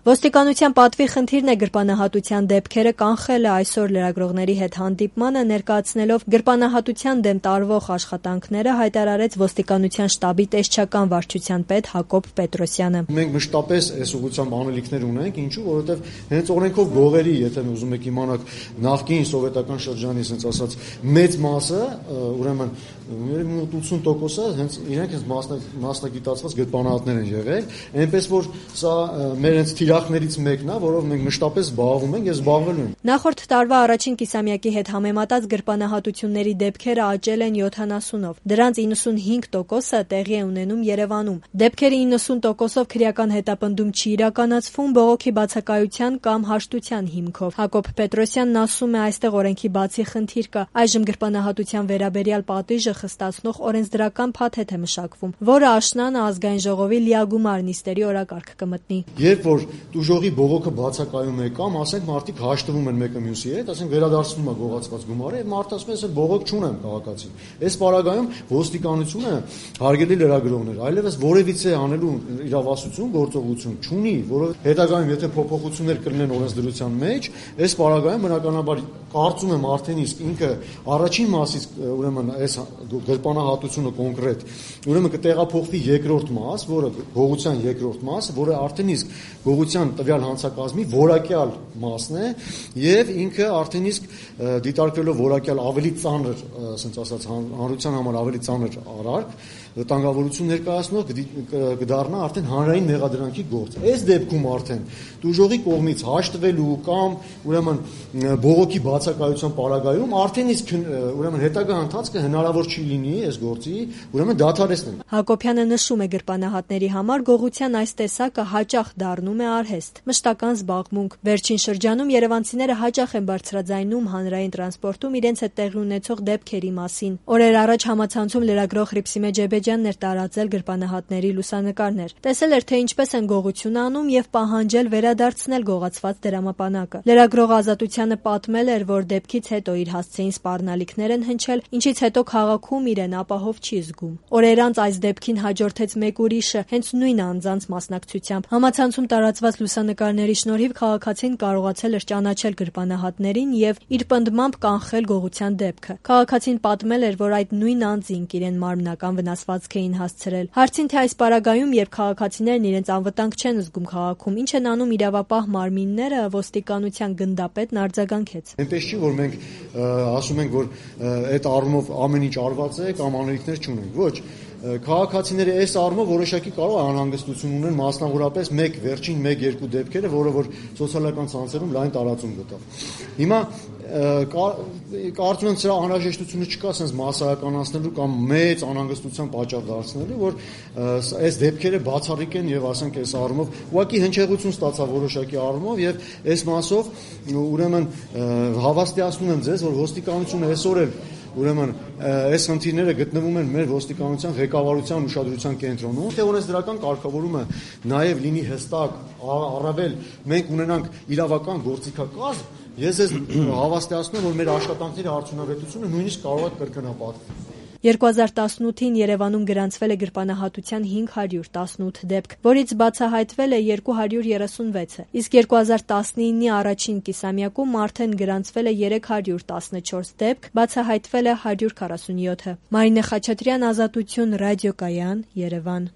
Ոստիկանության պատվի խնդիրն է գրպանահատության դեպքերը կանխելը, այսօր լրագրողների հետ հանդիպմանը ներկայացնելով գրպանահատության դեմ տարվող աշխատանքները հայտարարեց ոստիկանության շտաբի տեսչական վարչության պետ Հակոբ Պետրոսյանը։ Մենք մշտապես այս ուղղությամբ անելիքներ ունենք, ինչու, որովհետև հենց օրենքով գողերի, եթե ուզում եք իմանալ, նախկին սովետական շրջանի, ասենց ասած, մեծ մասը, ուրեմն 80%-ը հենց իրենք մասնագիտացված գրպանահատներ են եղել, այնպես որ սա մեր հենց թիրախներից մեկն է, որով մենք մշտապես զբաղվում ենք եւ զբաղվելու ենք։ Նախորդ տարվա առաջին կիսամյակի հետ համեմատած գրպանահատությունների դեպքերը աճել են 70-ով։ Դրանց 95%-ը տեղի է ունենում Երևանում։ Դեպքերի 90%-ով քրեական հետապնդում չի իրականացվում բողոքի բացակայության կամ հաշտության հիմքով։ Հակոբ Պետրոսյանն ասում է, այստեղ օրենքի բացի խնդիր կա։ Այժմ գրպանահատության վերաբերյալ պատիժը խստացնող օրենսդրական փաթեթ է մշակվում, որը աշնանը ազգային ժողովի լիագումար նիստերի օրակարգ կմտնի։ Երբ որ տուժողի բողոքը բացակայում է կամ ասենք մարդիկ հաշտվում են մեկը մյուսի հետ, ասենք վերադարձվում է գողացված գումարը եւ մարդը ասում է, ես բողոք չունեմ քաղաքացին։ Այս պարագայում ոստիկանությունը հարգելի լրագրողներ, այլևս որևիցե անելու իրավասություն, գործողություն չունի, որով հետագայում եթե փոփոխություններ կլինեն օրենսդրության մեջ, այս պարագայում բնականաբար կարծում եմ արդեն իսկ ինքը առաջին մասից ուրեմն այս գրպանահատությունը կոնկրետ ուրեմն կտեղափոխվի երկրորդ մաս, որը գողության երկրորդ մաս, որը արդեն իսկ գողության տվյալ հանցակազմի որակյալ մասն է եւ ինքը արդեն իսկ դիտարկվելով որակյալ ավելի ծանր, ասենց ասած, հանրության համար ավելի ծանր արարք, վտանգավորություն ներկայացնող կդառնա արդեն հանրային մեղադրանքի գործ։ Այս դեպքում արդեն տուժողի կողմից հաշտվելու կամ ուրեմն բողոքի բացակայության պարագայում արդեն իսկ ուրեմն հետագա ընթացքը հնարավոր չի լինի այս գործի ուրեմն դադարեցնել։ Հակոբյանը նշում է գրպանահատների համար գողության այս տեսակը հաճախ դառնում է արհեստ, մշտական զբաղմունք։ Վերջին շրջանում երևանցիները հաճախ են բարձրաձայնում հանրային տրանսպորտում իրենց հետ տեղի ունեցող դեպքերի մասին։ Օրեր առաջ համացանցում լրագրող Հռիփսիմե Ջեբեջյանն էր տարածել գրպանահատների լուսանկարներ։ Տեսել էր, թե ինչպես են գողություն անում եւ պահանջել վերադարձնել գողացված դրամապանակը։ Լրագրողը Ազատությանը պատմել էր, որ դեպքից հետո իր հասցեին սպառնալիքներ են հնչել, ինչից հետո քաղաքում իրեն ապահով չի զգում։ Օրեր անց այս դեպքին հաջորդեց մեկ ուրիշը, հենց նույն անձանց մասնակցությամբ։ Համացանցում տարածված լուսանկարների շնորհիվ քաղաքացին կարողացել էր ճանաչել գրպանահատներին եւ իր պնդմամբ կանխել գողության դեպքը։ Քաղաքացին պատմել էր, որ այդ նույն անձինք իրեն մարմնական վնասվածք էին հասցրել։ Հարցին, թե այս պարագայում, երբ քաղաքացիներն իրենց անվտանգ չեն զգում քաղաքում, ինչ են անում իրավապահ մարմինները, ոստիկանության գնդապետն արձագանքեց։ Այնպես չի, որ մենք ասում ենք, որ այդ առումով ամեն ինչ արված է կամ անելիքներ չունենք։ Ոչ, քաղաքացիները այս առումով որոշակի կարող է անհանգստություն ունեն, մասնավորապես վերջին 1-2 դեպքերը, որը որ սոցիալական ցանցերում լայն տարածում գտավ։ Հիմա կարծում եմ սրա անհրաժեշտությունը չկա sense մասսայականացնելու կամ մեծ անհանգստության պատճառ դարձնելու, որ այս դեպքերը բացառիկ են եւ ասենք այս առումով ուղղակի հնչեղություն ստացա որոշակի առումով եւ այս մասով ուրեմն հավաստիացնում եմ ձեզ, որ ոստիկանությունը այսօր էլ ուրեմն այս խնդիրները գտնվում են մեր ոստիկանության ղեկավարության ուշադրության կենտրոնում։ Թե օրենսդրական կարգավորումը նաև լինի հստակ, առավել մենք ունենանք իրավական գործիքակազմ, ես հավաստիացնում եմ, որ մեր աշխատանքների արդյունավետությունը նույնիսկ կարող է կրկնապատկվել։ 2018-ին Երևանում գրանցվել է գրպանահատության 518 դեպք, որից բացահայտվել է 236-ը, իսկ 2019-ի առաջին կիսամյակում արդեն գրանցվել է 314 դեպք, բացահայտվել է 147-ը։ Մարինե Խաչատրյան, Ազատություն, ռադիոկայան, Երևան։